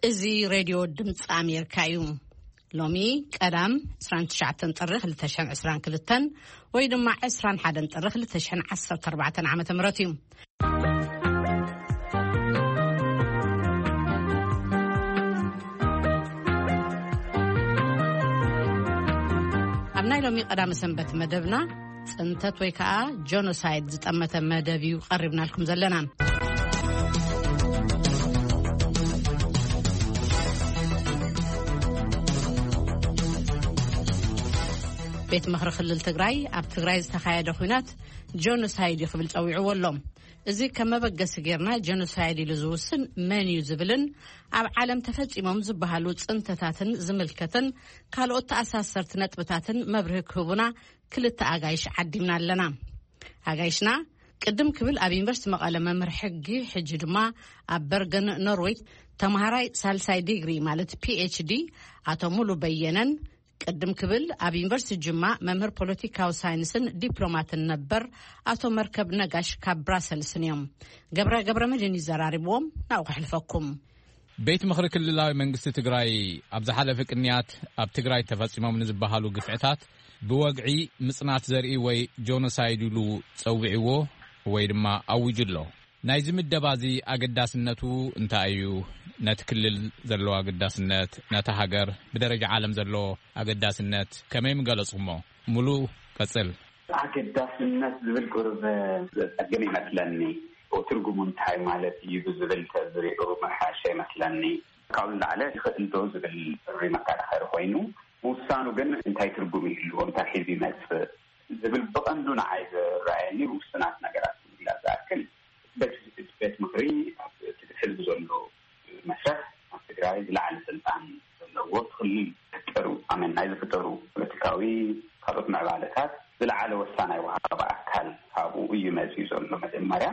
እዚ ሬድዮ ድምፂ ኣሜሪካ እዩ። ሎሚ ቀዳም ዕስራን ትሽዓተን ጥሪ ክልተ ሽሕን ዕስራን ክልተን ወይ ድማ ዕስራን ሓደን ጥሪ ክልተ ሽሕን ዓሰርተ ኣርባዕተን ዓመተ ምህረት እዩ። ኣብ ናይ ሎሚ ቀዳመ ሰንበት መደብና፣ ጽንተት ወይ ከኣ ጆኖሳይድ ዝጠመተ መደብ እዩ ቀሪብናልኩም ዘለና። ቤት ምኽሪ ክልል ትግራይ ኣብ ትግራይ ዝተኻየደ ኲናት ጆኖሳይድ እዩ ክብል ጸዊዕዎ ኣሎ። እዚ ከም መበገሲ ጌርና ጀኖሳይድ ኢሉ ዝውስን መን እዩ ዝብልን ኣብ ዓለም ተፈጺሞም ዝበሃሉ ጽንተታትን ዝምልከትን ካልኦት ተኣሳሰርቲ ነጥብታትን መብርሂ ክህቡና ክልተ ኣጋይሽ ዓዲምና ኣለና። ኣጋይሽና ቅድም ክብል ኣብ ዩኒቨርሲቲ መቐለ መምህር ሕጊ፣ ሕጂ ድማ ኣብ በርገን ኖርዌይ ተምሃራይ ሳልሳይ ዲግሪ ማለት ፒ ኤች ዲ ኣቶ ሙሉ በየነን፣ ቅድም ክብል ኣብ ዩኒቨርሲቲ ጅማ መምህር ፖለቲካዊ ሳይንስን ዲፕሎማትን ነበር ኣቶ መርከብ ነጋሽ ካብ ብራሰልስን እዮም። ገብረ ገብረ መድህን ይዘራርብዎም፣ ናብኡ ከሕልፈኩም። ቤት ምኽሪ ክልላዊ መንግስቲ ትግራይ ኣብ ዝሓለፈ ቅንያት ኣብ ትግራይ ተፈጺሞም ንዝበሃሉ ግፍዕታት ብወግዒ ምጽናት ዘርኢ ወይ ጆኖሳይድ ኢሉ ጸዊዕዎ ወይ ድማ ኣዊጁ ኣሎ። ናይዚ ምደባ እዚ ኣገዳስነቱ እንታይ እዩ? ነቲ ክልል ዘለዎ ኣገዳስነት፣ ነታ ሃገር ብደረጃ ዓለም ዘሎ ኣገዳስነት ከመይ ምገለጽኩሞ? ሙሉ ቀጽል። ኣገዳስነት ዝብል ቁሩብ ዘጸግም ይመስለኒ። ትርጉሙ እንታይ ማለት እዩ ብዝብል ተዝሪኡ ምሓሸ ይመስለኒ። ካብኡ ንላዕሊ ይኽእል ዶ ዝብል ጥሪ መከራኸሪ ኮይኑ፣ ምውሳኑ ግን እንታይ ትርጉም ይህልዎ፣ እንታይ ሒዙ ይመጽእ ዝብል ብቐንዱ ንዓይ ዝረኣየኒ ውሱናት ነገራት ንምግላጽ ዝኣክል፣ ቤት ቤት ምኽሪ ኣብ እቲ ሕዝቢ ዘሎ መስርሕ ኣብ ትግራይ ዝለዓለ ስልጣን ዘለዎ እቲ ክልል ፍጠሩ ኣመን ናይ ዝፍጠሩ ፖለቲካዊ ካልኦት ምዕባለታት ዝለዓለ ወሳናይ ወሃቢ ኣካል ካብኡ እዩ መፅዩ ዘሎ። መጀመርያ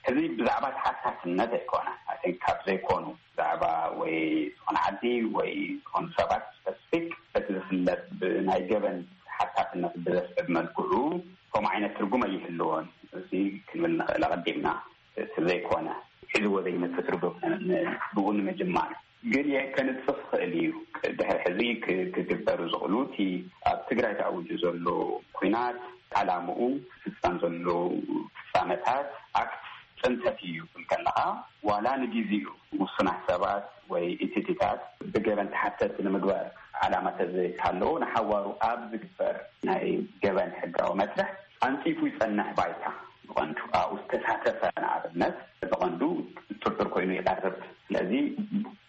እዚ ብዛዕባ ተሓታትነት ኣይኮነ። I think ካብ ዘይኮኑ ብዛዕባ ወይ ዝኾነ ዓዲ ወይ ዝኾኑ ሰባት ስፐሲፊክ በቲ ዝፍለጥ ብናይ ገበን ተሓታትነት ብዘስዕብ መልክዑ ከምኡ ዓይነት ትርጉም ኣይህልዎን። እዚ ክንብል ንኽእል ኣቐዲምና። እቲ ዘይኮነ ሒዝዎ ዘይመጽእ ትርጉም ን- ን- ብኡ ንምጅማር ግን የ- ከንጽፍ ይኽእል እዩ። ድሕሪ ሕዚ ክ- ክግበሩ ዝኽእሉ እቲ ኣብ ትግራይ ተኣዊጁ ዘሎ ኲናት፣ ዓላምኡ፣ ክፍጸም ዘሎ ፍጻመታት፣ ኣክት ጽንተት እዩ ክብል ከለኻ ዋላ ንግዜኡ ውሱናት ሰባት ወይ ኢንቲቲታት ብገበን ተሓተቲ ንምግባር ዓላማ ተዘይሃለዎ ንሓዋሩ ኣብ ዝግበር ናይ ገበን ሕጋዊ መስርሕ ኣንጺፉ ይጸንሕ ባይታ ብቐንዱ ኣብኡ ዝተሳተፈ ንኣብነት ብቐንዱ ጥርጥር ኮይኑ ይቐርብ። ስለዚ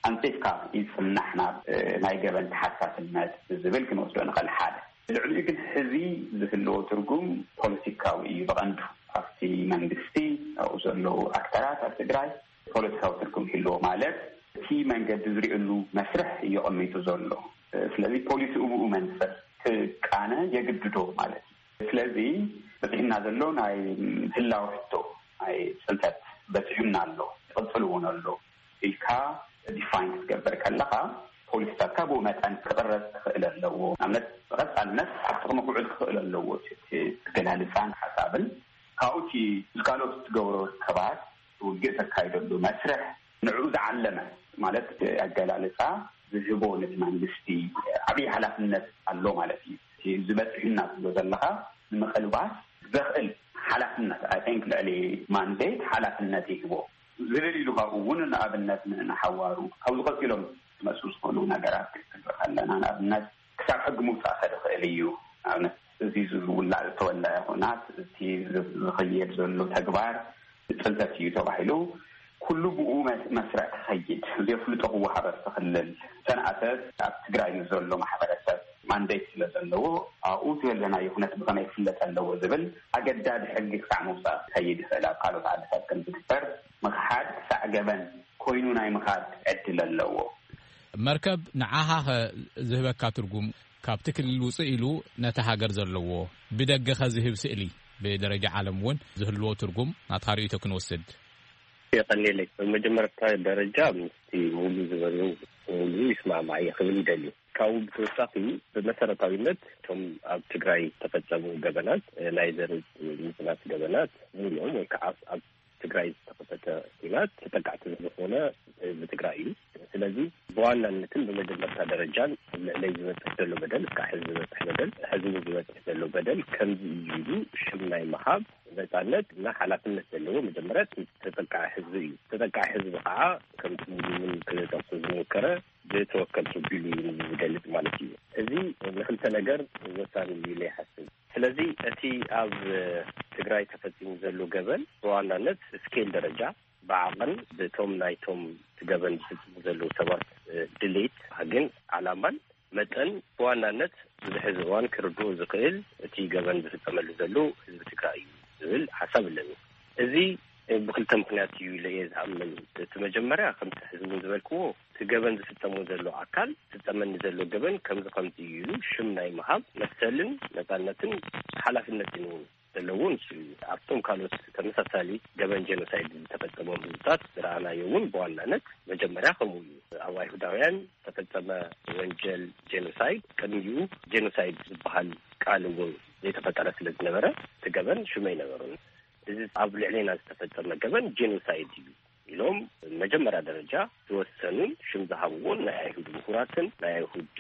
ኣንጺፍካ ይጽናሕ ናብ ናይ ገበን ተሓታትነት ዝብል ክንወስዶ ንኽእል ሓደ። ልዕሊኡ ግን ሕዚ ዝህልዎ ትርጉም ፖለቲካዊ እዩ ብቐንዱ ኣብቲ መንግስቲ ኣብኡ ዘለዉ ኣክተራት ኣብ ትግራይ ፖለቲካዊ ትርጉም ይህልዎ ማለት እቲ መንገዲ ዝሪእሉ መስርሕ እዩ ኣቐሚጡ ዘሎ። ስለዚ ፖሊሲ ብኡ መንፅር ክቃነ የግድዶ ማለት እዩ። ስለዚ በፂሕና ዘሎ ናይ ህላው ሕቶ ናይ ፅንተት በፂሑና ኣሎ፣ ይቕፅል እውን ኣሎ ኢልካ ዲፋይን ክትገብር ከለኻ ፖሊሲታትካ ብኡ መጠን ክቕረፅ ክኽእል ኣለዎ። ንኣብነት ብቐፃልነት ኣብ ጥቕሚ ክውዕል ክኽእል ኣለዎ እቲ ኣገላልፃን ሓሳብን። ካብኡ እቲ ምስ ካልኦት እትገብሮ ርክባት ውግእ ተካይደሉ መስርሕ ንዕኡ ዝዓለመ ማለት ኣገላልፃ ዝህቦ ነቲ መንግስቲ ዓብዪ ሓላፍነት ኣሎ ማለት እዩ። እቲ ዝበፅሕና ትብሎ ዘለኻ ንምቕልባስ ዘኽእል ሓላፍነት ኣይ ቲንክ ልዕሊ ማንዴት ሓላፍነት ይህቦ ዝብል ኢሉ ካብኡ እውን ንኣብነት ንሓዋሩ ካብዚ ቀፂሎም ክመፁ ዝኽእሉ ነገራት ክንርኢ ከለና ንኣብነት ክሳብ ሕጊ ምውፃእ ከድኽእል እዩ። ንኣብነት እዚ ዝውላዕ ዝተወለዐ ኩናት እቲ ዝኸየድ ዘሎ ተግባር ፅንተት እዩ ተባሂሉ ኩሉ ብኡ መስርዕ ክኸይድ ዘፍልጦ ክወሃበ ክኽልል ሰንኣተት ኣብ ትግራይ ንዘሎ ማሕበረሰብ ማንዴት ስለ ዘለዎ ኣብኡ ዘለናዮ ኩነት ብኸመይ ክፍለጥ ኣለዎ ዝብል ኣገዳዲ ሕጊ ክሳዕ ምውፃእ ክኸይድ ይኽእል ኣብ ካልኦት ዓድታት ከም ዝግበር ምኽሓድ ክሳዕ ገበን ኮይኑ ናይ ምኻድ ዕድል ኣለዎ። መርከብ ንዓኻ ኸ ዝህበካ ትርጉም ካብቲ ክልል ውፅእ ኢሉ ነቲ ሃገር ዘለዎ ብደገ ኸ ዝህብ ስእሊ ብደረጃ ዓለም እውን ዝህልዎ ትርጉም ናትካ ርእይቶ ክንወስድ። የቐንየለይ። ብመጀመርታ ደረጃ ምስቲ ሙሉ ዝበሉ ሙሉ ይስማማዕ እየ ክብል ይደሊ። ካብኡ ብተወሳኺ ብመሰረታዊነት እቶም ኣብ ትግራይ ዝተፈፀሙ ገበናት ናይ ዘር ምፅናት ገበናት ሙሉኦም ወይ ከዓ ኣብ ትግራይ ዝተኸፈተ ኲናት ተጠቃዕቲ ዝኾነ ህዝቢ ትግራይ እዩ። ስለዚ ብዋናነትን ብመጀመርታ ደረጃን ኣብ ልዕለይ ዝበፅሕ ዘሎ በደል፣ እስካዕ ሕዚ ዝበፅሕ በደል፣ ሕዚ እውን ዝበፅሕ ዘሎ በደል ከምዚ እዩ ኢሉ ሽም ናይ ምሃብ ነፃነት እና ሓላፍነት ዘለዎ መጀመርያ እቲ ተጠቃዒ ህዝቢ እዩ። ተጠቃዒ ህዝቢ ከዓ ከምቲ ሙሉ እውን ክጠቅሶ ዝሞከረ ብተወከልቲ ኣቢሉ እዩ ዝገልፅ ማለት እዩ። እዚ ንክልተ ነገር ወሳኒ እዩ ኢለ ይሓስብ። ስለዚ እቲ ኣብ ትግራይ ተፈፂሙ ዘሎ ገበን ብዋናነት ስኬል ደረጃ ብዓቐን ብቶም ናይቶም እቲ ገበን ዝፍፅሙ ዘለዉ ሰባት ድሌት ግን ዓላማን መጠን ብዋናነት ብዙሕ ህዝቢ እዋን ክርድኡ ዝኽእል እቲ ገበን ዝፍፀመሉ ዘሎ ህዝቢ ትግራይ እዩ ዝብል ሓሳብ ኣለኒ። እዚ ብክልተ ምክንያት እዩ ኢለ እየ ዝኣምን። እቲ መጀመርያ ከምቲ ህዝቢ እውን ዝበልክዎ እቲ ገበን ዝፍፀሞ ዘሎ ኣካል ዝፍፀመኒ ዘሎ ገበን ከምዚ ከምዚ እዩ ኢሉ ሽም ናይ ምሃብ መሰልን ነፃነትን ሓላፍነትን እውን ዘለዎ ንሱ እዩ። ኣብቶም ካልኦት ተመሳሳሊ ገበን ጄኖሳይድ ዝተፈጸሞም ህዝብታት ዝረኣናዮ እውን ብዋናነት መጀመርያ ከምኡ እዩ። ኣብ ኣይሁዳውያን ዝተፈጸመ ወንጀል ጄኖሳይድ ቅድሚኡ ጄኖሳይድ ዝበሃል ቃል እውን ዘይተፈጠረ ስለ ዝነበረ እቲ ገበን ሽም ኣይነበሮን። እዚ ኣብ ልዕሌና ዝተፈጸመ ገበን ጄኖሳይድ እዩ ኢሎም መጀመርያ ደረጃ ዝወሰኑን ሽም ዝሃብዎን ናይ ኣይሁድ ምሁራትን ናይ ኣይሁድ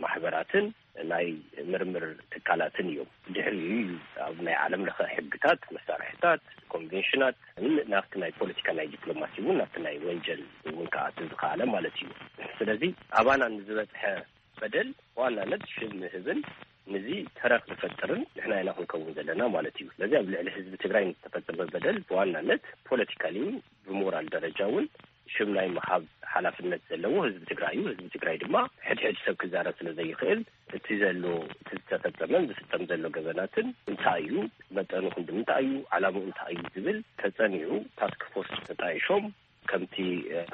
ማሕበራትን ናይ ምርምር ትካላትን እዮም። ድሕሪኡ እዩ ኣብ ናይ ዓለም ለኸ ሕግታት፣ መሳርሕታት፣ ኮንቬንሽናት ናብቲ ናይ ፖለቲካ ናይ ዲፕሎማሲ እውን ናብቲ ናይ ወንጀል እውን ክኣቱ ዝኸኣለ ማለት እዩ። ስለዚ ኣባና ንዝበፅሐ በደል ብዋናነት ሽም ምህብን ንዚ ተረኽ ዝፈጥርን ንሕና ኢና ክንከውን ዘለና ማለት እዩ። ስለዚ ኣብ ልዕሊ ህዝቢ ትግራይ ንዝተፈጸመ በደል ብዋናነት ፖለቲካሊ እውን ብሞራል ደረጃ እውን ሽም ናይ ምሃብ ሓላፍነት ዘለዎ ህዝቢ ትግራይ እዩ። ህዝቢ ትግራይ ድማ ሕድሕድ ሰብ ክዛረብ ስለ ዘይኽእል እቲ ዘሎ እቲ ዝተፈጸመን ዝፍጸም ዘሎ ገበናትን እንታይ እዩ፣ መጠኑ ክንዲ ምንታይ እዩ፣ ዓላምኡ እንታይ እዩ ዝብል ተጸኒዑ ታስክ ፎርስ ተጣይሾም ከምቲ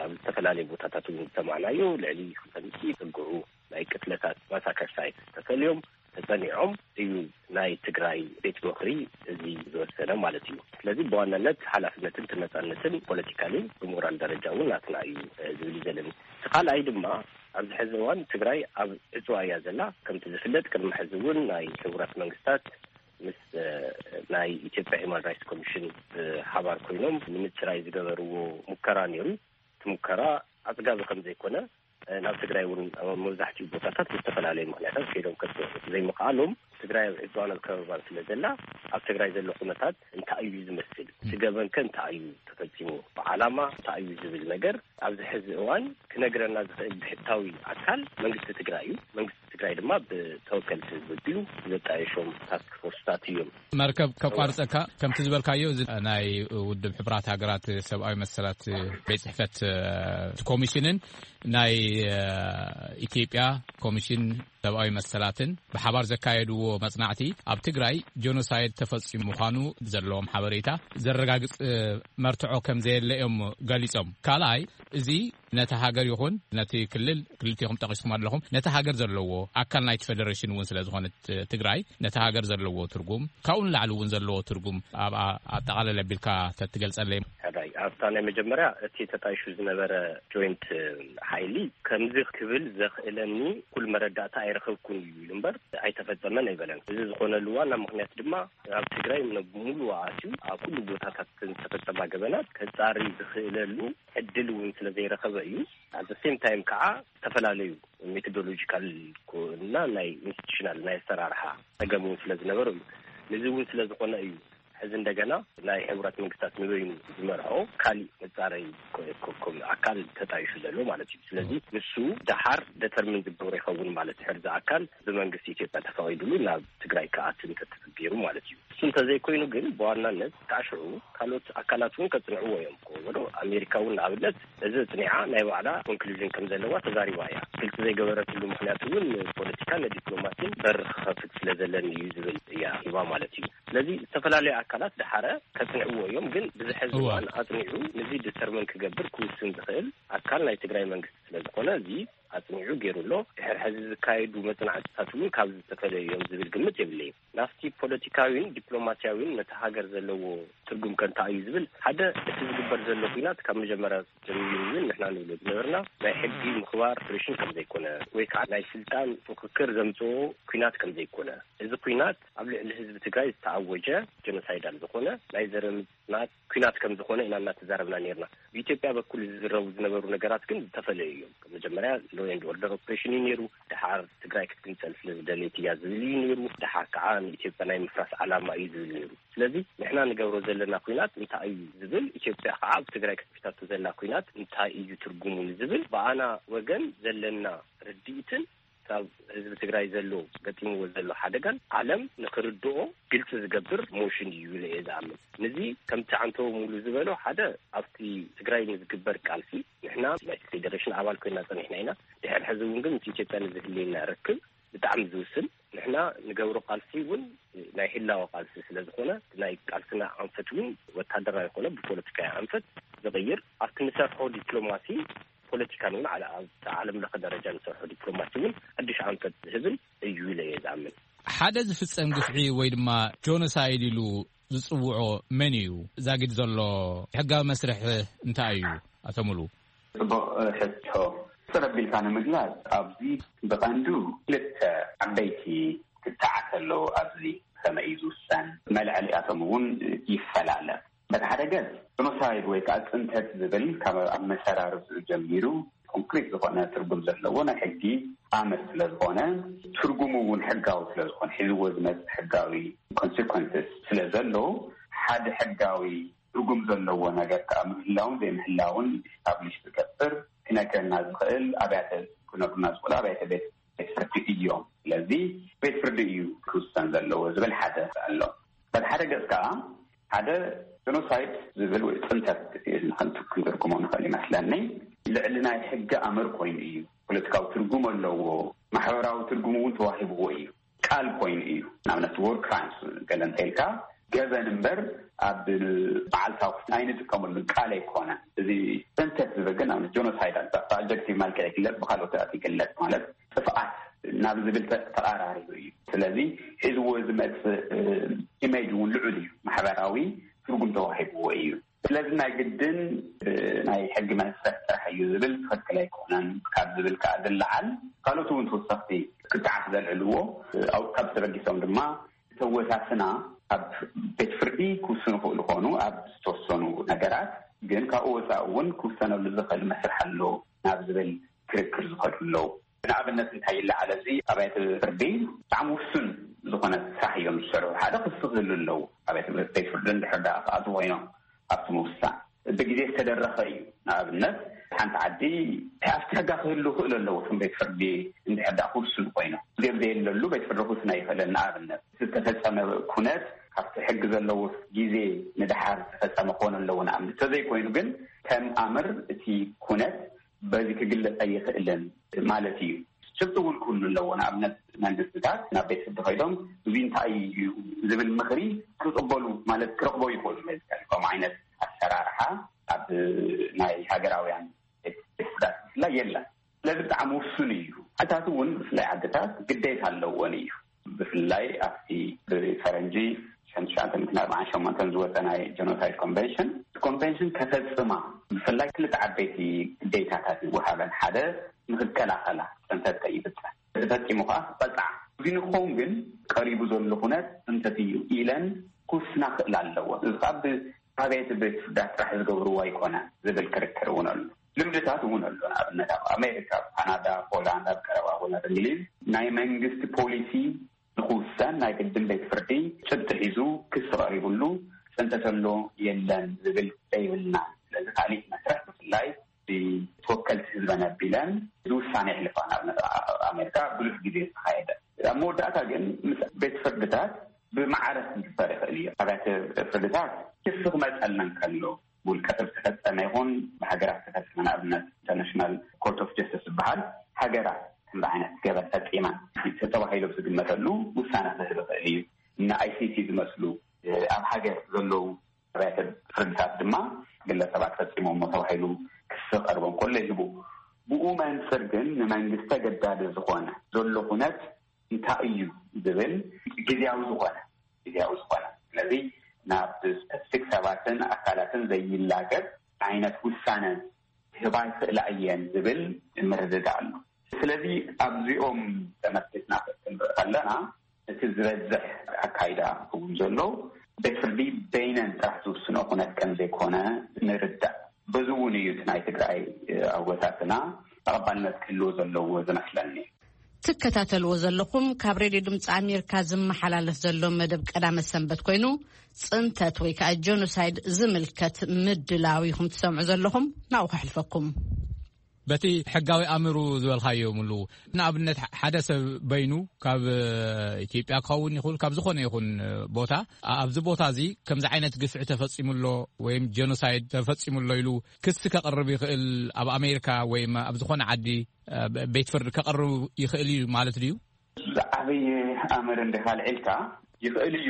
ኣብ ዝተፈላለዩ ቦታታት እውን ዝሰማዕናዮ ልዕሊ ክልተ ሚእቲ ዝጽግዑ ናይ ቅትለታት ማሳከር ሳይት ተፈልዮም ተጸኒዖም እዩ ናይ ትግራይ ቤት ምኽሪ እዚ ዝወሰነ ማለት እዩ። ስለዚ ብዋናነት ሓላፍነትን ተነፃነትን ፖለቲካሊ ብሞራል ደረጃ እውን ናትና እዩ ዝብል እዩ ዘለኒ። እቲ ካልኣይ ድማ ኣብዚ ሕዚ እዋን ትግራይ ኣብ ዕፅዋ እያ ዘላ። ከምቲ ዝፍለጥ ቅድሚ ሕዚ እውን ናይ ሕቡራት መንግስታት ምስ ናይ ኢትዮጵያ ሂማን ራይትስ ኮሚሽን ብሓባር ኮይኖም ንምፅራይ ዝገበርዎ ሙከራ ነይሩ። እቲ ሙከራ ኣፅጋቢ ከም ዘይኮነ ናብ ትግራይ እውን መብዛሕትኡ ቦታታት ብዝተፈላለዩ ምክንያታት ከይዶም ከፅንዑ ዘይምኽኣሎም ትግራይ ኣብ ዕፅዋን ኣብ ከበባን ስለ ዘላ ኣብ ትግራይ ዘሎ ኩነታት እንታይ እዩ ዝመስል፣ እቲ ገበን ከ እንታይ እዩ ተፈፂሙ፣ ብዓላማ እንታይ እዩ ዝብል ነገር ኣብዚ ሕዚ እዋን ክነግረና ዝኽእል ብሕታዊ ኣካል መንግስቲ ትግራይ እዩ። መንግስቲ ትግራይ ድማ ብተወከልቲ ህዝቢ ኣቢሉ ዘጣየሾም ታስክ ፎርስታት እዮም። መርከብ ከቋርፀካ ከምቲ ዝበልካዮ እዚ ናይ ውድብ ሕቡራት ሃገራት ሰብኣዊ መሰላት ቤት ፅሕፈት ኮሚሽንን ናይ ኢትዮጵያ ኮሚሽን ሰብኣዊ መሰላትን ብሓባር ዘካየድዎ መፅናዕቲ ኣብ ትግራይ ጀኖሳይድ ተፈፂሙ ምዃኑ ዘለዎም ሓበሬታ ዘረጋግፅ መርትዖ ከም ዘየለ እዮም ገሊፆም። ካልኣይ እዚ ነቲ ሃገር ይኹን ነቲ ክልል ክልቲኹም ጠቒስኩም ኣለኹም ነቲ ሃገር ዘለዎ ኣካል ናይቲ ፌደሬሽን እውን ስለ ዝኾነት ትግራይ ነቲ ሃገር ዘለዎ ትርጉም ካብኡ ንላዕሊ እውን ዘለዎ ትርጉም ኣብ ኣጠቓለል ኣቢልካ ተትገልፀለይ። ሕራይ ኣብታ ናይ መጀመርያ እቲ ተጣይሹ ዝነበረ ጆይንት ሓይሊ ከምዚ ክብል ዘኽእለኒ ኩል መረዳእታ ኣይረኸብኩን እዩ ኢሉ እምበር ኣይተፈጸመን ኣይበለን። እዚ ዝኾነሉ ዋና ምኽንያት ድማ ኣብ ትግራይ ሙሉ ኣትዩ ኣብ ኩሉ ቦታታት ዝተፈጸማ ገበናት ከጻሪ ዝኽእለሉ ዕድል እውን ስለ ዘይረኸበ እዩ። ኣት ሴም ታይም ከዓ ዝተፈላለዩ ሜቶዶሎጂካል እና ናይ ኢንስቲቱሽናል ናይ ኣሰራርሓ ጸገም እውን ስለ ዝነበሩ እዩ። ነዚ እውን ስለ ዝኾነ እዩ ሕዚ እንደገና ናይ ሕቡራት መንግስታት ንበይኑ ዝመርሖ ካሊእ መጻረይ ኣካል ተጣይሹ ዘሎ ማለት እዩ። ስለዚ ንሱ ደሓር ደተርሚን ዝገብሮ ይኸውን ማለት ሕርዚ ኣካል ብመንግስቲ ኢትዮጵያ ተፈቒዱሉ ናብ ትግራይ ክኣቱ እንተተፈጊሩ ማለት እዩ። እሱ እንተዘይኮይኑ ግን ብዋናነት ካሽዑ ካልኦት ኣካላት እውን ከጽንዕዎ እዮም። ወደ ኣሜሪካ እውን ንኣብነት እዚ ጽኒዓ ናይ ባዕላ ኮንክሉዥን ከም ዘለዋ ተዛሪባ እያ። ግልጽ ዘይገበረትሉ ምክንያት እውን ንፖለቲካን ንዲፕሎማሲን በር ክኸፍት ስለ ዘለኒ እዩ ዝብል እያ ሂባ ማለት እዩ። ስለዚ ዝተፈላለዩ ኣካላት ደሓረ ከጽንዕዎ እዮም፣ ግን ብዝሐዚ እዋን ኣጽኒዑ ንዚ ዲተርመን ክገብር ክውስን ዝኽእል ኣካል ናይ ትግራይ መንግስቲ ስለዝኾነ፣ እዚ ኣጽኒዑ ገይሩ ኣሎ። ድሕሪ ሕዚ ዝካየዱ መጽናዕትታት እውን ካብ ዝተፈለዩ እዮም ዝብል ግምት የብለይን። ናብቲ ፖለቲካዊን ዲፕሎማሲያዊን ነቲ ሃገር ዘለዎ ትርጉም ከ እንታይ እዩ ዝብል፣ ሓደ፣ እቲ ዝግበር ዘሎ ኲናት ካብ መጀመርያ ጀሚሩ እውን ንሕና ንብሎ ዝነበርና ናይ ሕጊ ምኽባር ኦፕሬሽን ከም ዘይኮነ፣ ወይ ከዓ ናይ ስልጣን ፍክክር ዘምጽኦ ኲናት ከም ዘይኮነ፣ እዚ ኲናት ኣብ ልዕሊ ህዝቢ ትግራይ ዝተኣወጀ ጀኖሳይዳል ዝኾነ ናይ ዘረ ምጽናት ኲናት ከም ዝኾነ ኢና እናተዛረብና ነርና። ብኢትዮጵያ በኩል ዝዝረቡ ዝነበሩ ነገራት ግን ዝተፈለዩ እዮም። መጀመርያ ሎ ኤንድ ኦርደር ኦፕሬሽን እዩ ነይሩ፣ ደሓር ትግራይ ክትግንጸል ስለ ዝደለየት እያ ዝብል እዩ ነይሩ፣ ደሓር ከዓ ንኢትዮጵያ ናይ ምፍራስ ዓላማ እዩ ዝብል ነይሩ። ስለዚ ንሕና ንገብሮ ዘለና ኲናት እንታይ እዩ ዝብል፣ ኢትዮጵያ ከዓ ኣብ ትግራይ ክትከፍታቶ ዘላ ኲናት እንታይ እዩ ትርጉሙ ንዝብል፣ ብኣና ወገን ዘለና ርድኢትን ካብ ህዝቢ ትግራይ ዘሎ፣ ገጢምዎ ዘሎ ሓደጋን ዓለም ንክርድኦ ግልፂ ዝገብር ሞሽን እዩ ኢለ እየ ዝኣምን። ነዚ ከምቲ ዓንቶ ሙሉ ዝበሎ፣ ሓደ፣ ኣብቲ ትግራይ ንዝግበር ቃልሲ ንሕና ናይ ፌዴሬሽን ኣባል ኮይና ፀኒሕና ኢና። ድሕሪ ሕዚ እውን ግን ምስ ኢትዮጵያ ንዝህልየና ርክብ ብጣዕሚ ዝውስን፣ ንሕና ንገብሮ ቃልሲ እውን ናይ ህላወ ቃልሲ ስለ ዝኾነ፣ ናይ ቃልስና ኣንፈት እውን ወታደራዊ ኮነ ብፖለቲካዊ ኣንፈት ዝቕይር፣ ኣብቲ ንሰርሖ ዲፕሎማሲ ፖለቲካን እውን ዓለ-፣ ኣብ ዓለም ለኸ ደረጃ ንሰርሖ ዲፕሎማሲ እውን ሓድሽ ኣንፈት ዝህብን እዩ ኢለ እየ ዝኣምን። ሓደ ዝፍጸም ግፍዒ ወይ ድማ ጆኖሳይድ ኢሉ ዝጽውዖ መን እዩ? ዛጊድ ዘሎ ሕጋዊ መስርሕ እንታይ እዩ? ኣቶ ሙሉ። ጽቡቕ ሕቶ። ሰረብ ኢልካ ንምግላጽ፣ ኣብዚ ብቐንዱ ክልተ ዓበይቲ ክትዓት ኣለዎ። ኣብዚ ከመይ እዩ ዝውሰን፣ መልዕሊኣቶም እውን ይፈላለ። በቲ ሓደ ገጽ፣ ጀኖሳይድ ወይ ከዓ ጽንተት ዝብል ካብ ኣመሰራርትኡ ጀሚሩ ኮንክሪት ዝኾነ ትርጉም ዘለዎ ናይ ሕጊ ኣምር ስለ ዝኾነ፣ ትርጉሙ እውን ሕጋዊ ስለ ዝኾነ፣ ሒዝዎ ዝመጽእ ሕጋዊ ኮንሲኮንስስ ስለ ዘሎ፣ ሓደ ሕጋዊ ትርጉም ዘለዎ ነገር ከዓ ምህላውን ዘይምህላውን ኢስታብሊሽ ዝገብር፣ ክነግረና ዝኽእል ኣብያተ፣ ክነግሩና ዝኽእሉ ኣብያተ ቤት፣ ቤት ፍርዲ እዮም። ስለዚ ቤት ፍርዲ እዩ ክውሰን ዘለዎ ዝብል ሓደ ኣሎ። በቲ ሓደ ገጽ ከዓ ሓደ ጀኖሳይድ ዝብል ወይ ጽንተት ኢልና ክንትርጉሞ ንኽእል ይመስለኒ። ልዕሊ ናይ ሕጊ ኣምር ኮይኑ እዩ። ፖለቲካዊ ትርጉም ኣለዎ። ማሕበራዊ ትርጉም እውን ተዋሂብዎ እዩ። ቃል ኮይኑ እዩ። ንኣብነት፣ ወር ክራይምስ ገለ እንተኢልካ፣ ገበን እምበር ኣብ መዓልታዊ ኣይንጥቀመሉን፣ ቃል ኣይኮነን። እዚ ጽንተት ዝብል ግን፣ ንኣብነት፣ ጀኖሳይድ፣ ብኣጀክቲቭ መልክዕ ይግለጽ፣ ብካልኦት ይግለጽ፣ ማለት ጥፍኣት ናብ ዝብል ተ-፣ ተቓራሪቡ እዩ። ስለዚ ሒዝዎ ዝመጽእ፣ እ፣ ኢሜጅ እውን ልዑል እዩ። ማሕበራዊ ትርጉም ተዋሂብዎ እዩ። ስለዚ ናይ ግድን፣ እ፣ ናይ ሕጊ መስርሕ ጥራሕ እዩ ዝብል ትኽክል ኣይኮነን ካብ ዝብል ከዓ ዝለዓል፣ ካልኦት እውን ተወሰኽቲ ክትዓት ዘልዕልዎ፣ እ፣ ኣብ፣ ካብ ተበጊሶም ድማ፣ እተወሳስና ኣብ ቤት ፍርዲ ክውስኑ ይኽእሉ ኾኑ ኣብ ዝተወሰኑ ነገራት፣ ግን ካብኡ ወፃኢ እውን ክውሰነሉ ዝኽእል መስርሕ ኣሎ ናብ ዝብል ክርክር ዝኸዱ ኣለዉ። ንኣብነት እንታይ ይለዓል? እዚ ኣብያተ ፍርዲ ብጣዕሚ ውሱን ዝኾነ ስራሕ እዮም ዝሰርሑ። ሓደ ክሲ ክህሉ ኣለዉ። ኣብያተ ቤት ፍርዲ እንድሕር ደኣ ክኣትዉ ኮይኖም ኣብቲ ምውሳን ብግዜ ዝተደረኸ እዩ። ንኣብነት፣ ሓንቲ ዓዲ ኣብቲ ሕጋ ክህሉ ክእሉ ኣለዎ። እቶም ቤት ፍርዲ እንድሕር ደኣ ክውስኑ ኮይኖም፣ ግዜ ዘየለሉ ቤት ፍርዲ ክውስን ኣይኽእልን። ንኣብነት፣ እቲ ዝተፈጸመ ኩነት ካብቲ ሕጊ ዘለዎ ግዜ ንደሓር ዝተፈጸመ ክኾን ኣለዎ። ንኣብነት፣ ተዘይኮይኑ ግን ከም ኣምር እቲ ኩነት በዚ ክግለጽ ኣይኽእልን ማለት እዩ። ጭብጢ እውን ክህሉ ኣለዎ። ንኣብነት፣ መንግስትታት ናብ ቤት ፍርዲ ከይዶም፣ "እዚ እንታይ እዩ?" ዝብል ምኽሪ ክቕበሉ፣ ማለት፣ ክረኽቦ ይኽእሉ። መዝገብ ከምኡ ዓይነት ኣሰራርሓ ኣብ ናይ ሃገራውያን ቤት፣ ቤት ፍርድታት ብፍላይ የለን። ስለዚ ብጣዕሚ ውሱን እዩ። ዓድታት እውን፣ ብፍላይ ዓድታት፣ ግዴታ ኣለዎን እዩ። ብፍላይ ኣብቲ ብፈረንጂ ሽሕን ትሽዓተ ሚእትን ኣርባዓን ሸሞንተን ዝወፀ ናይ ጀኖሳይድ ኮንቨንሽን፣ እቲ ኮንቨንሽን ከፈፅማ ብፍላይ ክልተ ዓበይቲ ግዴታታት ይወሃበን። ሓደ፣ ንክከላኸላ፣ ፅንተት ከይፍፀም፣ ተፈፂሙ ከዓ ክቐፅዓ። እዚ ንክኸውን ግን ቀሪቡ ዘሎ ኩነት ፅንተት እዩ ኢለን ክውስና ክኽእላ ኣለዎ። እዚ ከዓ ብ-፣ ኣበየት ቤት ፍርዳት ጥራሕ ዝገብርዎ ኣይኮነ ዝብል ክርክር እውን ኣሎ። ልምድታት እውን ኣሎ። ንኣብነት፣ ኣብ ኣሜሪካ፣ ኣብ ካናዳ፣ ፖላንድ፣ ኣብ ቀረባ እውን ኣብ እንግሊዝ ናይ መንግስቲ ፖሊሲ ንክውሰን ናይ ቅድም ቤት ፍርዲ ጭብጢ ሒዙ ክሲ ቀሪቡሉ፣ ፅንተት ኣሎ የለን ዝብል ዘይብልና። ስለዚ ካሊእ መስርሕ፣ ብፍላይ ብተወከልቲ ህዝበን ኣቢለን እዚ ውሳነ የሕልፋ። ንኣብነት፣ ኣብ ኣሜሪካ ብዙሕ ግዜ ዝተኻየደ። ኣብ መወዳእታ ግን ምስ ቤት ፍርድታት ብማዕረ ክግበር ይኽእል እዩ። ኣብያተ ፍርድታት ክሲ ክመፀልና እንከሎ፣ ብውልቀ ሰብ ዝተፈፀመ ይኹን ብሃገራት ዝተፈፀመ፣ ንኣብነት ኢንተርናሽናል ኮርት ኦፍ ጀስቲስ ዝበሃል፣ ሃገራት ከምዚ ዓይነት ገበን ፈፂመን ተባሂሎም ዝግመተሉ ውሳነ ክህብ ይኽእል እዩ። እነ ኣይ ሲ ሲ ዝመስሉ ኣብ ሃገር ዘለዉ ኣብያተ ፍርድታት ድማ ግለሰባት ፈፂሞሞ ተባሂሉ ክሲ ቀርቦም ከሎ ይህቡ። ብኡ መንፅር ግን ንመንግስቲ ኣገዳዲ ዝኾነ ዘሎ ኩነት እንታይ እዩ ዝብል ግዜያዊ ዝኾነ ግዜያዊ ዝኾነ ስለዚ ናብ ስፐሲፊክ ሰባትን ኣካላትን ዘይላገብ ዓይነት ውሳነ ክህባ ይኽእላ እየን ዝብል ምርድዳእ ኣሎ። ስለዚ ኣብዚኦም ተመስሪትና ክንርኢ ከለና እቲ ዝበዝሕ ኣካይዳ እውን ዘሎ ቤት ፍርዲ በይነን ጥራሕ ዝውስኖ ኩነት ከም ዘይኮነ ንርዳእ። በዚ እውን እዩ እቲ ናይ ትግራይ ኣወታትና ተቐባልነት ክህልዎ ዘለዎ ዝመስለኒ። ትከታተልዎ ዘለኹም ካብ ሬድዮ ድምፂ ኣሜሪካ ዝመሓላለፍ ዘሎ መደብ ቀዳመ ሰንበት ኮይኑ፣ ፅንተት ወይ ከዓ ጀኖሳይድ ዝምልከት ምድላው ኢኹም ትሰምዑ ዘለኹም። ናብኡ ከሕልፈኩም። በቲ ሕጋዊ ኣምሩ ዝበልካዮ ምሉ፣ ንኣብነት ሓደ ሰብ በይኑ ካብ ኢትዮጵያ ክኸውን ይኹን ካብ ዝኾነ ይኹን ቦታ፣ ኣብዚ ቦታ እዚ ከምዚ ዓይነት ግፍዒ ተፈፂሙ ኣሎ ወይም ጀኖሳይድ ተፈፂሙ ኣሎ ኢሉ ክሲ ከቕርብ ይኽእል ኣብ ኣሜሪካ ወይም ኣብ ዝኾነ ዓዲ ቤት ፍርዲ ከቕርብ ይኽእል እዩ ማለት ድዩ? ዝዓበየ ኣምር እንዲኻ ልዒልካ ይኽእል እዩ።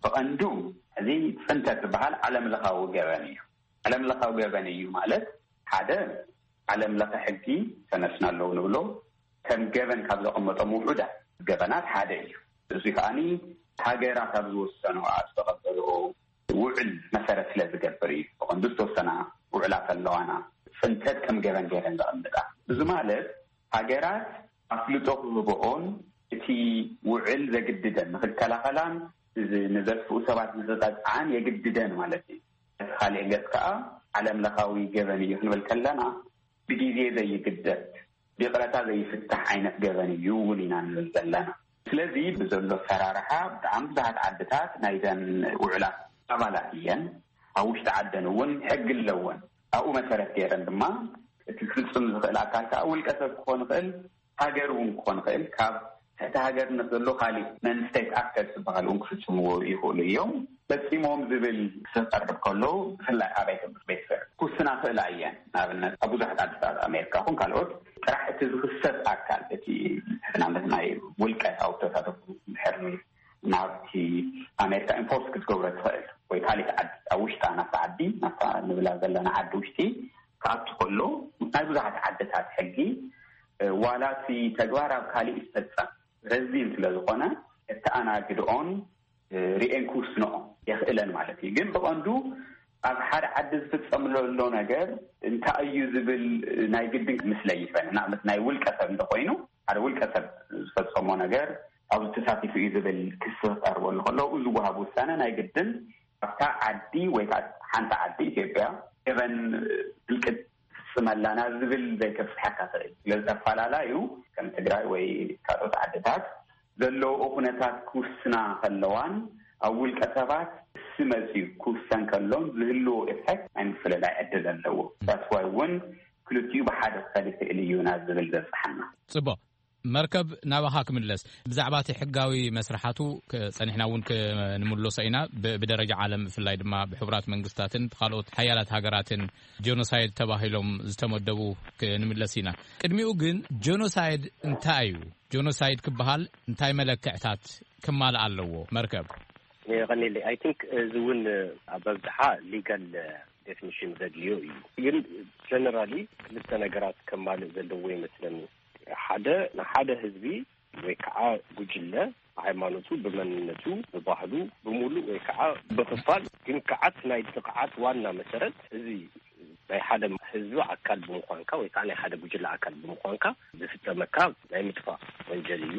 ብቐንዱ እዚ ፅንተት ዝበሃል ዓለም ለኻዊ ገበን እዩ። ዓለም ለኻዊ ገበን እዩ ማለት ሓደ ዓለም ለኸ ሕጊ ተነስና ኣለዉ ንብሎ ከም ገበን ካብ ዘቐመጦም ውሑዳት ገበናት ሓደ እዩ። እዚ ከዓኒ ሃገራት ኣብ ዝወሰኖ ኣብ ዝተቐበልኦ ውዕል መሰረት ስለ ዝገብር እዩ። ብቐንዱ ዝተወሰና ውዕላት ኣለዋና ፅንተት ከም ገበን ገይረን ዘቐምጣ። እዚ ማለት ሃገራት ኣፍልጦ ክህብኦን እቲ ውዕል ዘግድደን ንክከላኸላን ንዘጥፍኡ ሰባት ንክቀፅዓን የግድደን ማለት እዩ። እቲ ካሊእ ገፅ ከዓ ዓለም ለኻዊ ገበን እዩ ክንብል ከለና ብግዜ ዘይግደድ ብይቕረታ ዘይፍታሕ ዓይነት ገበን እዩ እውን ኢና ንብል ዘለና። ስለዚ ብዘሎ ኣሰራርሓ ብጣዕሚ ብዙሓት ዓድታት ናይዘን ውዕላት ኣባላት እየን። ኣብ ውሽጢ ዓደን እውን ሕጊ ኣለወን። ኣብኡ መሰረት ገይረን ድማ እቲ ክፍፅም ዝኽእል ኣካል ከዓ ውልቀ ሰብ ክኾን ይኽእል፣ ሃገር እውን ክኾን ይኽእል፣ ካብ ትሕቲ ሃገርነት ዘሎ ካሊእ መንስቴት ኣክተርስ ዝበሃል እውን ክፍፅምዎ ይኽእሉ እዮም። ፈፂሞም ዝብል ክቐርብ ከሎ ብፍላይ ኣብ ቤት ፍርዲ ክውስና ክእላ እየን። ንኣብነት ኣብ ብዙሓት ዓድታት ኣሜሪካ ኹን ካልኦት ጥራሕ እቲ ዝኽሰስ ኣካል እቲ ንኣብነት ናይ ውልቀ ኣብ ተሳተፉ ድሕር ናብቲ ኣሜሪካ ኢምፖርት ክትገብሮ ትኽእል ወይ ካልእ ዓዲ ኣብ ውሽጣ ናብቲ ዓዲ ናብታ ንብላ ዘለና ዓዲ ውሽጢ ክኣቱ ከሎ ናይ ብዙሓት ዓድታት ሕጊ ዋላ እቲ ተግባር ኣብ ካልእ ይፈፀም ረዚን ስለ ዝኾነ እተኣናግድኦን ሪኤን ክውስንኦ የኽእለን ማለት እዩ። ግን ብቐንዱ ኣብ ሓደ ዓዲ ዝፍፀም ዘሎ ነገር እንታይ እዩ ዝብል ናይ ግድን ክምስለ ይኽእል። ንኣብነት ናይ ውልቀ ሰብ እንተኮይኑ ሓደ ውልቀ ሰብ ዝፈፀሞ ነገር ኣብዚ ተሳቲፉ እዩ ዝብል ክሲ ክቀርበሉ ከሎ ዝወሃብ ውሳነ ናይ ግድን ኣብታ ዓዲ ወይ ከዓ ሓንቲ ዓዲ ኢትዮጵያ ገበን ህልቅት ትፍፅመላና ዝብል ዘይከብፅሐካ ትኽእል። ስለዚ ተፈላለዩ ከም ትግራይ ወይ ካልኦት ዓድታት ዘለዎ ኩነታት ክውስና ከለዋን ኣብ ውልቀ ሰባት ክሲ መፅዩ ክውሰን ከሎን ዝህልዎ ኢፌክት ናይ ምፍልላይ ዕድል ኣለዎ። ዳትስ ዋይ እውን ክልቲኡ ብሓደ ክኸድ ይኽእል እዩ ናብ ዝብል ዘብፅሓና። ፅቡቕ። መርከብ ናባኻ ክምለስ። ብዛዕባ እቲ ሕጋዊ መስርሓቱ ጸኒሕና እውን ክንምለሶ ኢና። ብደረጃ ዓለም ብፍላይ ድማ ብሕቡራት መንግስታትን ብካልኦት ሓያላት ሃገራትን ጀኖሳይድ ተባሂሎም ዝተመደቡ ክንምለስ ኢና። ቅድሚኡ ግን ጀኖሳይድ እንታይ እዩ? ጀኖሳይድ ክበሃል እንታይ መለክዕታት ክማልእ ኣለዎ? መርከብ የቐኒለይ። ኣይ ቲንክ እዚ እውን ኣብ ኣብዝሓ ሊጋል ዴፊኒሽን ዘድልዮ እዩ። ግን ጀነራሊ ክልተ ነገራት ከማልእ ዘለዎ ይመስለኒ። ሓደ ንሓደ ህዝቢ ወይ ከዓ ጉጅለ ብሃይማኖቱ፣ ብመንነቱ፣ ብባህሉ፣ ብሙሉእ ወይ ከዓ ብክፋል ግን ከዓ እቲ ናይ ጥቕዓት ዋና መሰረት እዚ ናይ ሓደ ህዝቢ ኣካል ብምዃንካ ወይ ከዓ ናይ ሓደ ጉጅለ ኣካል ብምዃንካ ዝፍፀመካ ናይ ምጥፋእ ወንጀል እዩ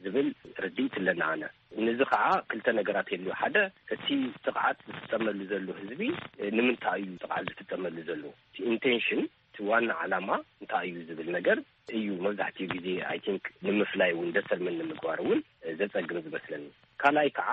ዝብል ርድኢት ኣለና ኣነ። ነዚ ከዓ ክልተ ነገራት የድልዮ። ሓደ እቲ ጥቕዓት ዝፍፀመሉ ዘሎ ህዝቢ ንምንታይ እዩ ጥቕዓት ዝፍፀመሉ ዘሎ? እቲ ኢንቴንሽን እቲ ዋና ዓላማ እንታይ እዩ ዝብል ነገር እዩ መብዛሕትኡ ግዜ ኣይ ቲንክ ንምፍላይ እውን ደተርምን ንምግባር እውን ዘፀግም ዝመስለኒ። ካልኣይ ከዓ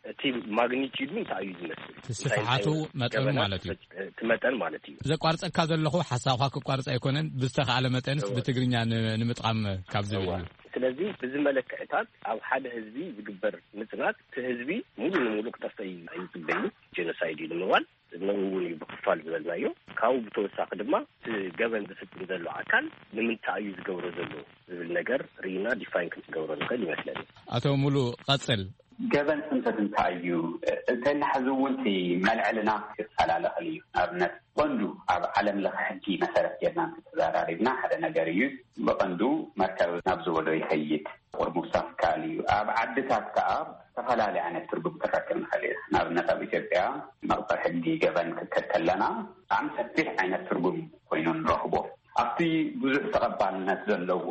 እቲ ማግኒቲዱ እንታይ እዩ ዝመስል? እቲ ስፍሓቱ መጠኑ ማለት እዩ። እቲ መጠን ማለት እዩ። ዘቋርፀካ ዘለኹ ሓሳብካ ክቋርፅ ኣይኮነን፣ ብዝተኻእለ መጠንስ ብትግርኛ ንምጥቓም ካብ ዝብል እዩ። ስለዚ ብዚ መለክዕታት ኣብ ሓደ ህዝቢ ዝግበር ምፅናት እቲ ህዝቢ ሙሉ ንሙሉ ክጠፍእ ኣይፅበይን ጀኖሳይድ እዩ ንምባል ነኡ እውን እዩ ብክፋል ዝበልናዮ። ካብኡ ብተወሳኺ ድማ እቲ ገበን ዝፍፅም ዘሎ ኣካል ንምንታይ እዩ ዝገብሮ ዘሎ ዝብል ነገር ርኢና ዲፋይን ክንገብሮ ንኽእል ይመስለኒ። ኣቶ ሙሉ ቀፅል። ገበን ጽንተት እንታይ እዩ? እንተልና ሕዚ እውን እቲ መልዕልና ክፈላለ ክእል እዩ። ንኣብነት፣ ቀንዱ ኣብ ዓለም ለኸ ሕጊ መሰረት ጌርና እንተተዘራሪብና ሓደ ነገር እዩ። ብቐንዱ መርከብ ናብ ዝበሎ ይኸይድ፣ ቁርቡብ ሳፍካል እዩ። ኣብ ዓድታት ከኣ ዝተፈላለየ ዓይነት ትርጉም ክረክብ ንኽእል እዩ። ንኣብነት፣ ኣብ ኢትዮጵያ መቕጽዒ ሕጊ ገበን ክከድ ከለና ብጣዕሚ ሰፊሕ ዓይነት ትርጉም ኮይኑ ንረኽቦ። ኣብቲ ብዙሕ ተቐባልነት ዘለዎ፣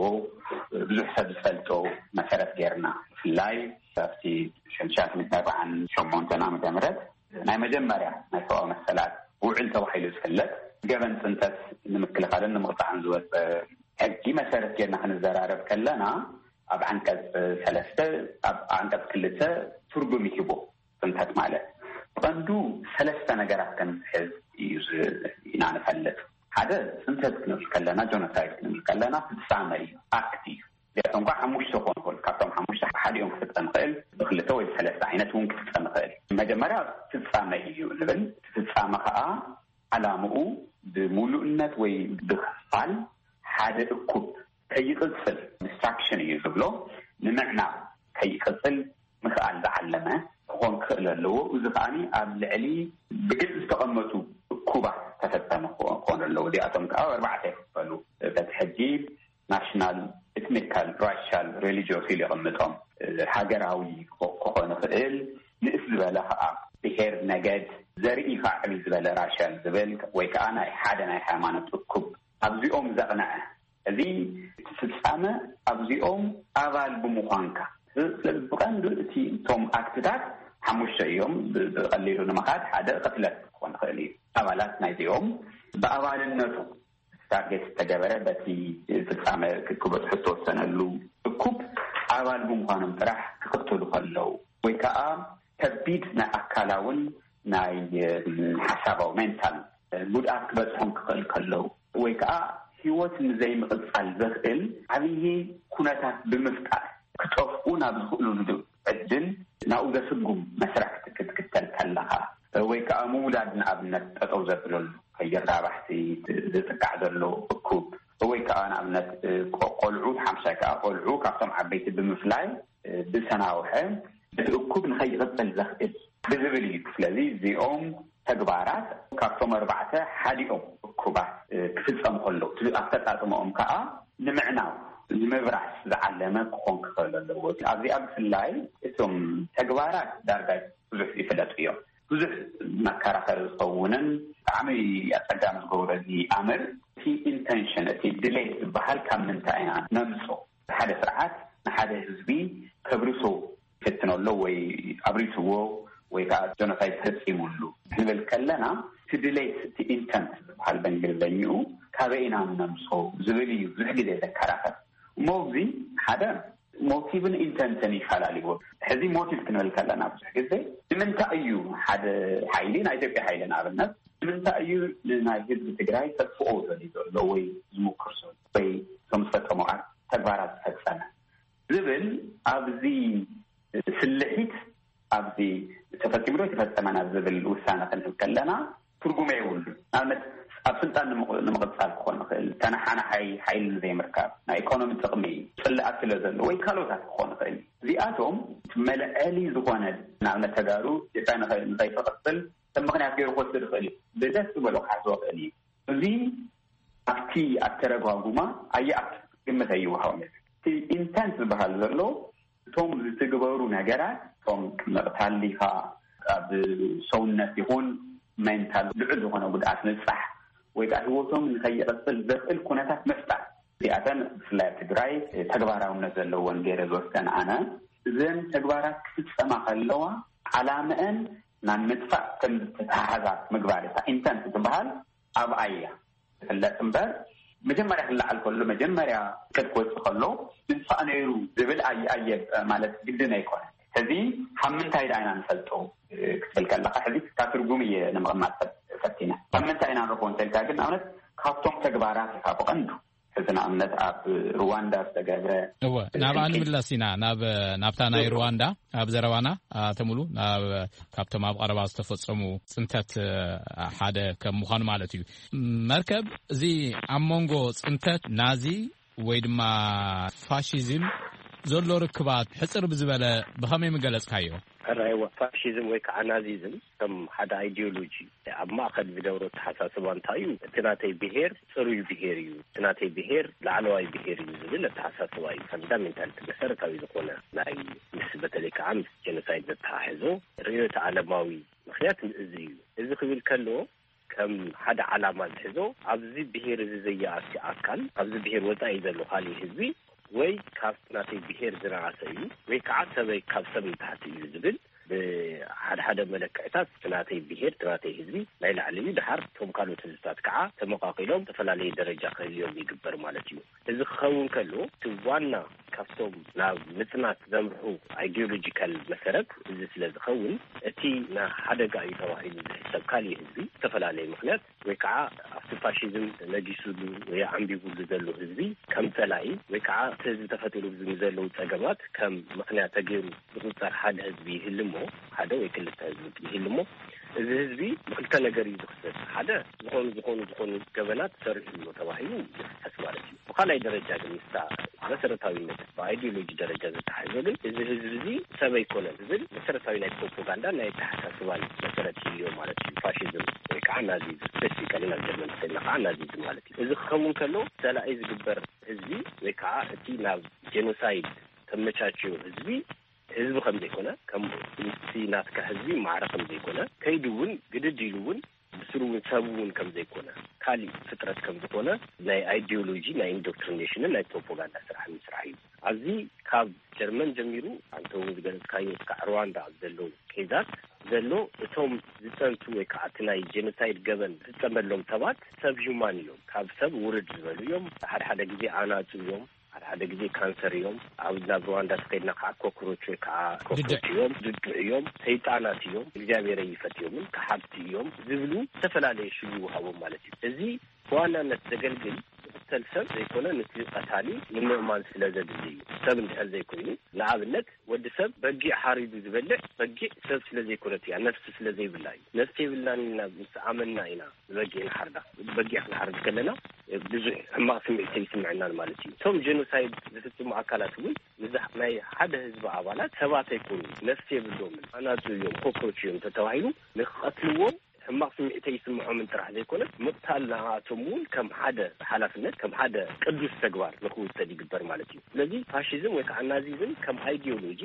ብዙሕ ሰብ ዝፈልጦ መሰረት ጌርና፣ ብፍላይ ኣብቲ ሽሕን ትሽዓተ ሚእትን ኣርባዓን ሸሞንተን ዓመተ ምህረት ናይ መጀመርያ ናይ ሰብኣዊ መሰላት ውዕል ተባሂሉ ዝፍለጥ፣ ገበን ጽንተት ንምክልኻልን ንምቕጻዕን ዝወጸ ሕጊ መሰረት ጌርና ክንዘራረብ ከለና፣ ኣብ ዓንቀጽ ሰለስተ፣ ኣብ ዓንቀጽ ክልተ ትርጉም ይህቦ። ጽንተት ማለት ብቐንዱ ሰለስተ ነገራት ከምዝሕዝ እዩ ዝ-፣ ኢና ንፈልጥ። ሓደ፣ ጽንተት ክንብል ከለና፣ ጆኖሳይድ ክንብል ከለና ፍጻመ እዩ፣ ኣክት እዩ። እዚኣቶም ከዓ ሓሙሽተ ክኾኑ ይኽእሉ። ካብቶም ሓሙሽተ ሓዲኦም ክፍጸም ይኽእል፣ ብክልተ ወይ ብሰለስተ ዓይነት እውን ክፍጸም ይኽእል። መጀመርያ ፍጻመ እዩ ንብል። እቲ ፍጻመ ከዓ ዓላምኡ ብምሉእነት ወይ ብክፋል ሓደ እኩብ ከይቕጽል፣ ዲስትራክሽን እዩ ዝብሎ፣ ንምዕናው፣ ከይቕጽል ምኽኣል ዝዓለመ ክኾን ክኽእል ኣለዎ። እዚ ከኣ ኣብ ልዕሊ ብግልጺ ዝተቐመጡ እኩባት ተፈጸመ ክኾ-፣ ክኾኑ ኣለዎ። እዚኣቶም ከኣ ኣርባዕተ ይኽፈሉ። በቲ ሕጂ ናሽናል፣ ኤትኒካል፣ ራሻል፣ ሬሊጂዮስ ኢሉ የቐምጦም። ሃገራዊ ክኾ-፣ ክኾን ይኽእል፣ ንእስ ዝበለ ከኣ ብሄር፣ ነገድ፣ ዘርኢ ከኣ ዕብይ ዝበለ ራሻል ዝብል ወይ ከኣ ናይ ሓደ ናይ ሃይማኖት እኩብ ኣብዚኦም ዘቕነዐ። እዚ እቲ ፍጻመ ኣብዚኦም ኣባል ብምዃንካ። ስለዚ ብቐንዱ እቲ፣ እቶም ኣክትታት ሓሙሽተ እዮም። ብ-፣ ብቐሊሉ ንምኻድ ሓደ ቅትለት ክኾን ይኽእል እዩ። ኣባላት ናይዚኦም ብኣባልነቱ ታርጌት ዝተገበረ፣ በቲ ፍጻመ ክ-፣ ክበጽሑ ዝተወሰነሉ እኩብ ኣባል ብምዃኖም ጥራሕ ክቕተሉ ከለዉ ወይ ከኣ ከቢድ ናይ ኣካላውን ናይ፣ እ፣ ሓሳባዊ፣ ሜንታል፣ እ፣ ጉድኣት ክበጽሖም ክኽእል ከለዉ ወይ ከኣ ህይወት ንዘይምቕጻል ዘኽእል ዓብዪ ኩነታት ብምፍጣር ክጠፍኡ ናብ ዝኽእሉሉ ዕድል ናብኡ ዘስጉም መስርሕ ክት-፣ ክትክተል ከለኻ ወይ ከኣ ምውላድ ንኣብነት ጠጠው ዘብለሉ ከይራባሕቲ ዝጥቃዕ ዘሎ እኩብ ወይ ከኣ ንኣብነት ቆ-፣ ቆልዑ ሓምሳይ ከኣ ቆልዑ ካብቶም ዓበይቲ ብምፍላይ ብሰናውሐ እቲ እኩብ ንኸይቕጽል ዘኽእል ብዝብል እዩ። ስለዚ እዚኦም ተግባራት ካብቶም ኣርባዕተ ሓዲኦም እኩባት ክፍጸሙ ከለዉ እቲ ኣፈጻጽምኦም ከኣ ንምዕናው ንምብራስ ዝዓለመ ክኾን ክኽእል ኣለዎ። ኣብዚኣ ብፍላይ እቶም ተግባራት ዳርጋ ብዙሕ ይፍለጡ እዮም። ብዙሕ መከራኸሪ ዝኸውንን ብጣዕሚ ኣጸጋሚ ዝገብሮ እዚ ኣምር እቲ ኢንተንሽን፣ እቲ ድሌት ዝበሃል ካብ ምንታይ ኢና ነምጾ? ሓደ ስርዓት ንሓደ ህዝቢ ከብርሶ ይፍትን ኣሎ ወይ ኣብሪስዎ ወይ ከዓ ጆኖሳይድ ፈፂሙሉ ክንብል ከለና እቲ ድሌት፣ እቲ ኢንተንት ዝበሃል በእንግሊዝኛኡ ካበይ ኢና ነምሶ ዝብል እዩ ብዙሕ ግዜ ዘከራኸር። እሞ እዚ ሓደ ሞቲቭን ኢንተንትን ይፈላለይዎ። ሕዚ ሞቲቭ ክንብል ከለና ብዙሕ ግዜ ንምንታይ እዩ ሓደ ሓይሊ፣ ናይ ኢትዮጵያ ሓይሊ ንኣብነት፣ ንምንታይ እዩ ንናይ ህዝቢ ትግራይ ከጥፍኦ ዘልዩ ዘሎ ወይ ዝምክር ዘሎ ወይ ከም ዝፈጸሞ ተግባራት ዝፈጸመ ዝብል ኣብዚ ስልሒት ኣብዚ ተፈጺሙ ዶ ተፈጸመ ናብ ዝብል ውሳነ ክንህብ ከለና ትርጉም የብሉ። ንኣብነት ኣብ ስልጣን ንምቕ-፣ ንምቕጻል ክኾን ይኽእል፣ ተነሓናሓይ ሓይሊ ዘይምርካብ፣ ናይ ኢኮኖሚ ጥቕሚ፣ ጽልኣት ስለ ዘሎ ወይ ካልኦታት ክኾን ይኽእል። እዚኣቶም እቲ መልዐሊ ዝኾነ ንኣብነት ተጋሩ ኢትዮጵያ ንኸ-፣ ንኸይትቕጽል ከም ምኽንያት ገይሩ ክወስድ ይኽእል እዩ። ብደስ ዝበሎ ክሓስቦ ይኽእል እዩ። እዚ ኣብቲ ኣተረጓጉማ ኣየኣቱ ግምት ኣይወሃቦም። እቲ ኢንተንት ዝበሃል ዘሎ እቶም ዝትግበሩ ነገራት፣ እቶም ምቕታል ዲኻ፣ ኣብ ሰውነት ይኹን ሜንታል ልዑል ዝኾነ ጉድኣት ምብጻሕ ወይ ከዓ ህይወቶም ንኸይቕጽል ዘኽእል ኩነታት ምፍጣር። እዚኣተን ብፍላይ ኣብ ትግራይ ተግባራውነት ዘለዎን ገይረ ዝወስደን ኣነ፣ እዘን ተግባራት ክፍጸማ ከለዋ ዓላምአን ናብ ምጥፋእ ከም ዝተተሓሓዛ ምግባር፣ እታ ኢንተንት ትበሃል ኣብኣ እያ ዝፍለጥ እምበር፣ መጀመርያ ክለዓል ከሎ፣ መጀመርያ ቅድ ክወፅእ ከሎ ምጥፋእ ነይሩ ዝብል ኣየ-፣ ኣየ-፣ ማለት ግድን ኣይኮነን። ሕዚ ካብ ምንታይ ደኣ ኢና ንፈልጦ ክትብል ከለኻ፣ ሕዚ ካብ ትርጉም እየ ንምቕማጥ ፈት-፣ ፈቲነ። ካብ ምንታይ ኢና ንረኽቦ እንተልካ ግን፣ ንኣብነት ካብቶም ተግባራት ኢኻ ብቐንዱ። ሕዚ ንኣብነት ኣብ ሩዋንዳ ዝተገብረ እወ፣ ናብኣ ንምለስ ኢና፣ ናብ፣ ናብታ ናይ ሩዋንዳ፣ ኣብ ዘረባና ኣተሙሉ፣ ናብ፣ ካብቶም ኣብ ቀረባ ዝተፈጸሙ ጽንተት፣ እ፣ ሓደ ከም ምዃኑ ማለት እዩ። መርከብ፣ እዚ ኣብ መንጎ ጽንተት ናዚ ወይ ድማ ፋሽዝም ዘሎ ርክባት ሕጽር ብዝበለ ብኸመይ ምገለጽካዮ? ሕራይዋ ፋሽዝም ወይ ከዓ ናዚዝም ከም ሓደ ኣይዲዮሎጂ ኣብ ማእኸል ዝገብሮ ኣተሓሳስባ እንታይ እዩ? እቲ ናተይ ብሄር ጽሩይ ብሄር እዩ፣ እቲ ናተይ ብሄር ላዕለዋይ ብሄር እዩ ዝብል ኣተሓሳስባ እዩ። ፈንዳሜንታል መሰረታዊ ዝኾነ ናይ ምስ በተለይ ከዓ ምስ ጀኖሳይድ ዘተሓሕዞ ርእዮተ ዓለማዊ ምኽንያት እዚ እዩ። እዚ ክብል ከሎ ከም ሓደ ዓላማ ዝሕዞ ኣብዚ ብሄር እዚ ዘየኣቲ ኣካል ኣብዚ ብሄር ወፃኢ ዘሎ ካሊእ ህዝቢ ወይ ካብ ናተይ ብሄር ዝነኣሰ እዩ ወይ ከዓ ሰበይ ካብ ሰብ ንታሕቲ እዩ ዝብል ብሓደ ሓደ መለክዕታት እቲ ናተይ ብሄር እቲ ናተይ ህዝቢ ናይ ላዕሊ እዩ። ድሓር እቶም ካልኦት ህዝብታት ከዓ ተመቃቂሎም ዝተፈላለየ ደረጃ ክህልዮም ይግበር ማለት እዩ። እዚ ክኸውን ከሎ እቲ ዋና ካብቶም ናብ ምፅናት ዘምርሑ ኣይዲዮሎጂካል መሰረት እዚ ስለ ዝኸውን እቲ ንሓደጋ እዩ ተባሂሉ ዝሕሰብ ካሊእ ህዝቢ ዝተፈላለየ ምክንያት ወይ ከዓ ኣብቲ ፋሽዝም ነጊሱሉ ወይ ኣንቢቡሉ ዘሎ ህዝቢ ከም ፀላኢ ወይ ከዓ እቲ ህዝቢ ተፈጢሩ ንዘለዉ ፀገማት ከም ምክንያት ተገይሩ ዝቁፀር ሓደ ህዝቢ ይህልሞ ሓደ ወይ ክልተ ህዝቢ ይህልሞ እዚ ህዝቢ ብክልተ ነገር እዩ ዝክሰስ። ሓደ ዝኾኑ ዝኾኑ ዝኾኑ ገበናት ሰሪሑ ኣሎ ተባሂሉ ይክሰስ ማለት እዩ። ብካልኣይ ደረጃ ግን ምስታ መሰረታዊነት ብኣይዲዮሎጂ ደረጃ ዝተሓዘ ግን እዚ ህዝቢ እዚ ሰብ ኣይኮነን ዝብል መሰረታዊ ናይ ፕሮፓጋንዳ ናይ ኣተሓሳስባን መሰረት ይህልዮ ማለት እዩ። ፋሽዝም ወይ ከዓ ናዚዝም ስፔሲፊካሊ ናብ ጀርመን ተሰልና ከዓ ናዚዝም ማለት እዩ። እዚ ክኸውን ከሎ ሰላኢ ዝግበር ህዝቢ ወይ ከዓ እቲ ናብ ጀኖሳይድ ተመቻችዮ ህዝቢ ህዝቢ ከም ዘይኮነ ከም እቲ ናትካ ህዝቢ ማዕረ ከም ዘይኮነ ከይዱ እውን ግድድ ኢሉ እውን ብስሩ እውን ሰብ እውን ከም ዘይኮነ ካሊእ ፍጥረት ከም ዝኾነ ናይ ኣይዲዮሎጂ ናይ ኢንዶክትሪኔሽንን ናይ ፕሮፓጋንዳ ስራሕ ምስራሕ እዩ። ኣብዚ ካብ ጀርመን ጀሚሩ ኣንተ እውን ዝገለፅካዮ እስካዕ ሩዋንዳ ኣብ ዘለዉ ኬዛት ዘሎ እቶም ዝፀንቱ ወይ ከዓ እቲ ናይ ጀኖሳይድ ገበን ዝፀመሎም ሰባት ሰብ ሂውማን እዮም። ካብ ሰብ ውርድ ዝበሉ እዮም። ሓደ ሓደ ግዜ ኣናፁ እዮም። ሓደ ሓደ ግዜ ካንሰር እዮም። ኣብ ናብ ሩዋንዳ ተኸድና ከዓ ኮክሮች ወይ ከዓ ኮክሮች እዮም፣ ድዱዕ እዮም፣ ሰይጣናት እዮም፣ እግዚኣብሔር ይፈትዮምን ከሓድቲ እዮም ዝብሉ ዝተፈላለየ ሽሙ ይወሃቦም ማለት እዩ። እዚ ብዋናነት ዘገልግል ዝኽተል ሰብ ዘይኮነ ነቲ ቀታሊ ንምእማን ስለ ዘድሊ እዩ። ሰብ እንድሕር ዘይኮይኑ ንኣብነት ወዲ ሰብ በጊዕ ሓሪዱ ዝበልዕ በጊዕ ሰብ ስለ ዘይኮነት እያ፣ ነፍሲ ስለ ዘይብላ እዩ። ነፍሲ የብልናን ኢልና ምስ ኣመንና ኢና ንበጊዕ ንሓርዳ። በጊዕ ክንሓርድ ከለና ብዙሕ ሕማቕ ስምዒት ኣይስምዐናን ማለት እዩ። እቶም ጀኖሳይድ ዝፍፅሙ ኣካላት እውን ንዛ ናይ ሓደ ህዝቢ ኣባላት ሰባት ኣይኮኑን፣ ነፍሲ የብሎምን፣ ኣናፁ እዮም፣ ኮክሮች እዮም ተተባሂሉ ንክቐትልዎም ሕማቕ ስምዒት ኣይስምዖምን ጥራሕ ዘይኮነ ምቕታል ንኣቶም እውን ከም ሓደ ሓላፍነት ከም ሓደ ቅዱስ ተግባር ንክውሰድ ይግበር ማለት እዩ። ስለዚ ፋሽዝም ወይ ከዓ ናዚዝም ከም ኣይዲዮሎጂ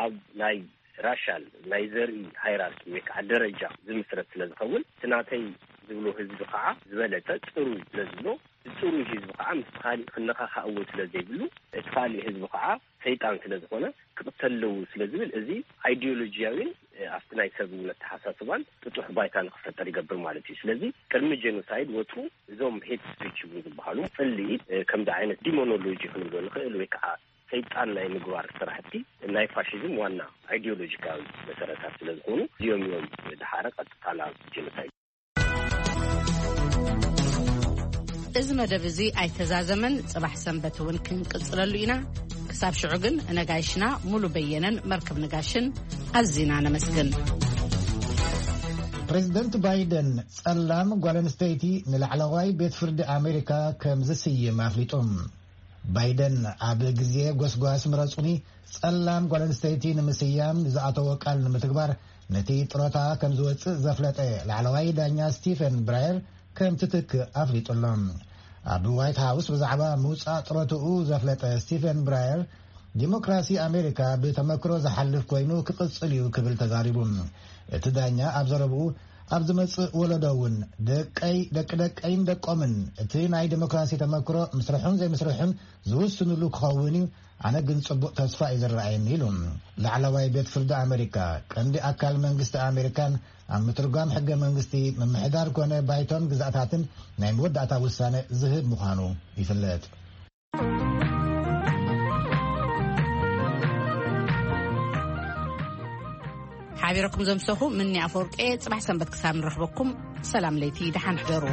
ኣብ ናይ ራሻል ናይ ዘርኢ ሃይራርኪ ወይ ከዓ ደረጃ ዝምስረት ስለ ዝኸውን እቲ ናተይ ዝብሎ ህዝቢ ከዓ ዝበለፀ ፅሩይ ስለ ዝብሎ እቲ ፅሩይ ህዝቢ ከዓ ምስ ካሊእ ክነኻኻእዎ ስለ ዘይብሉ እቲ ካሊእ ህዝቢ ከዓ ሰይጣን ስለ ዝኾነ ክቕተል ኣለዎ ስለ ዝብል እዚ ኣይዲዮሎጂያዊን ኣብቲ ናይ ሰብ እውን ኣተሓሳስባን ጥጡሕ ባይታ ንክፈጠር ይገብር ማለት እዩ። ስለዚ ቅድሚ ጀኖሳይድ ወትሩ እዞም ሄት ስፒች ይብሉ ዝበሃሉ ፅልኢ ከምዚ ዓይነት ዲሞኖሎጂ ክንብሎ ንኽእል ወይ ከዓ ሰይጣን ናይ ምግባር ስራሕቲ ናይ ፋሽዝም ዋና ኣይዲዮሎጂካዊ መሰረታት ስለ ዝኾኑ እዚኦም እዮም ድሓረ ቀጥታ ናብ ጀኖሳይድ። እዚ መደብ እዚ ኣይተዛዘመን፣ ጽባሕ ሰንበት እውን ክንቅጽለሉ ኢና። ክሳብ ሽዑ ግን ነጋይሽና ሙሉ በየነን መርከብ ነጋሽን ኣዚና ነመስግን። ፕሬዚደንት ባይደን ጸላም ጓል ኣንስተይቲ ንላዕለዋይ ቤት ፍርዲ ኣሜሪካ ከም ዝስይም ኣፍሊጡ። ባይደን ኣብ ግዜ ጎስጓስ ምረጹኒ ጸላም ጓል ኣንስተይቲ ንምስያም ዝኣተዎ ቃል ንምትግባር ነቲ ጥሮታ ከም ዝወጽእ ዘፍለጠ ላዕለዋይ ዳኛ ስቲፈን ብራየር ከም ትትክእ ኣፍሊጡ ኣሎ። ኣብ ዋይት ሃውስ ብዛዕባ ምውጻእ ጥሮትኡ ዘፍለጠ ስቲፈን ብራየር ዲሞክራሲ ኣሜሪካ ብተመክሮ ዝሓልፍ ኮይኑ ክቕጽል እዩ ክብል ተዛሪቡ። እቲ ዳኛ ኣብ ዘረብኡ ኣብ ዝመጽእ ወለዶ እውን ደቀይ ደቂ ደቀይን ደቆምን እቲ ናይ ዲሞክራሲ ተመክሮ ምስርሑን ዘይምስርሑን ዝውስንሉ ክኸውን እዩ። ኣነ ግን ጽቡቕ ተስፋ እዩ ዝረኣየኒ ኢሉ። ላዕለዋይ ቤት ፍርዲ ኣሜሪካ ቀንዲ ኣካል መንግስቲ ኣሜሪካን ኣብ ምትርጓም ሕገ መንግስቲ ምምሕዳር ኮነ ባይቶን ግዛእታትን ናይ መወዳእታ ውሳነ ዝህብ ምዃኑ ይፍለጥ። ሓቢረኩም ዘምሰኹ ምኒ ኣፈወርቂ። ጽባሕ ሰንበት ክሳብ ንረኽበኩም ሰላም ለይቲ ደሓን ሕደሩ።